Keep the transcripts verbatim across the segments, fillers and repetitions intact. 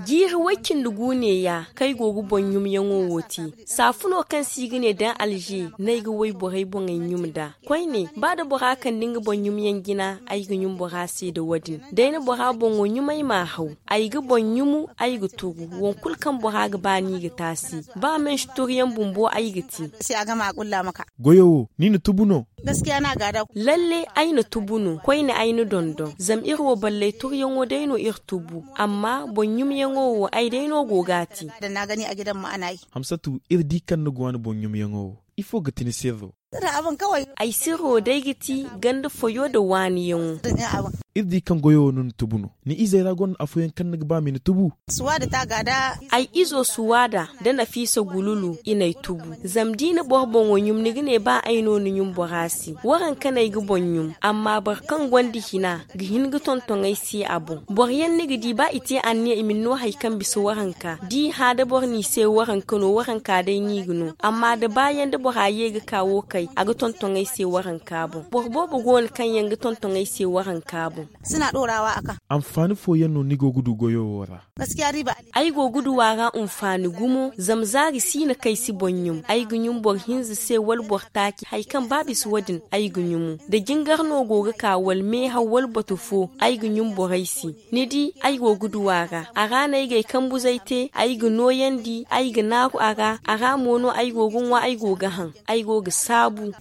Jiiri way-cindi-gu neeya kaŋ ay go ga boŋ-ɲumyaŋo wo te. Saafuno kaŋ se i ga ne daŋ alze no ay ga wayborey boŋey ɲum nd'a. Koyne, ba da bora kande nga boŋ-ɲumyaŋ jina, ay ga ɲum bora se nda wo-din. Da ay na bora boŋo ɲum, ay m'a haw. Ay ga boŋ ɲumu, ay ga tugu. Waŋ kulu kaŋ bora ga ba no i ga te a se. Ba mansi turuyaŋ bumbo ay ga te. Goyo wo, ni na tubu no? Lalle, ay na tubu no. Koyne, ay na dondon. Zama iri wo balley turuyaŋo day no iri tubu. Amma boŋ-ɲumyaŋo wo, ay day no go ga a te. Hamsatu, iri di kaŋ ni go a ni boŋ-ɲumyaŋo wo. Ifo ga ti ni sirro? Ay sirro day ga ti ganda foyo nda waaniyaŋo. Iri di kaŋ goyo wo no ni tubu no. Ni izey ra gonda afooyaŋ kaŋ ni ga ba ma i na tubu? Ay izo suwaada nda nafiisa gululu i n'ay tubu. Zama da i na boro boŋo ɲum, ni ga ne ba ay no ni ɲum bora se. Waranka no ay ga boŋ ɲum. Amma boro kaŋ gonda hina ga hin ga tonton ay se a boŋ. Boroyaŋ ni ga di, ba i te anniya i ma ni no hari kaŋ bisa waranka. Da i hã da boro n'i se waranka no, waranka day no i ga no. Amma da baayaŋ da bora ye ga ka wo kay, a ga tonton ay se waranka boŋ. Boro boobo go no kaŋ yaŋ ga tonton ay se waranka boŋ. Anfaani fooyaŋ no ni go ga du goyo wo ra? Ay go ga du a ra anfaani gumo. Zama zaari si no kaŋ ay si boŋ ɲum. Ay ga ɲum boro hinza se wala boro taaci, hari kaŋ ba bisa wo-din ay ga ɲumu. Da jingar no go ga ka wala meehaw wala batu fo, ay ga ɲum borey se. Ni di, ay go ga du a ra. A ra no ay ga ay kambuzey te. Ay ga nooyandi, ay ga naaru a ra. A ra mo no ay go ga ŋwa, ay go ga haŋ. Ay go ga saabu.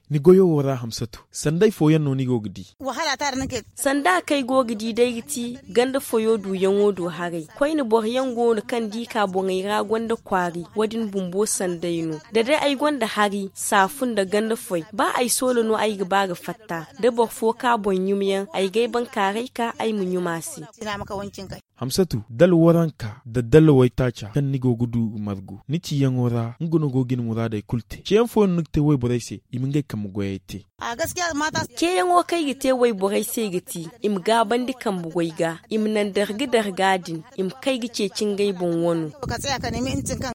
Ni goyo wo ra, Hamsatu, sanday fooyaŋ no ni go ga di? Sanda kaŋ ay go ga di day ga ti ganda foyo duyaŋo do haray. Koyne boroyaŋ go no kaŋ da i ka boŋey ra gonda kwaari. Wo-din bumbo sanday no. Da day ay gonda hari, saafu nda ganda foy, ba ay soola no ay ga ba ga fatta. Da boro fo ka boŋ ɲumyaŋ, ay ga ay bankaaray ka ay ma ɲum a se. Hamsatu, dala waranka nda dala waytaaca kaŋ ni go ga du ga margu ni ciyaŋo ra, nga no go ga ni muraadey kulu te. Ceyaŋ fooyaŋ no ni ga te wayborey se, i ma ngey kambe goyey te. Ceeyaŋo kaŋ ay ga te wayborey se ga ti, i ma gaabandi kambe goy ga, i ma naŋ darga-darga din, i ma kay ga ceeci ngey boŋ wano.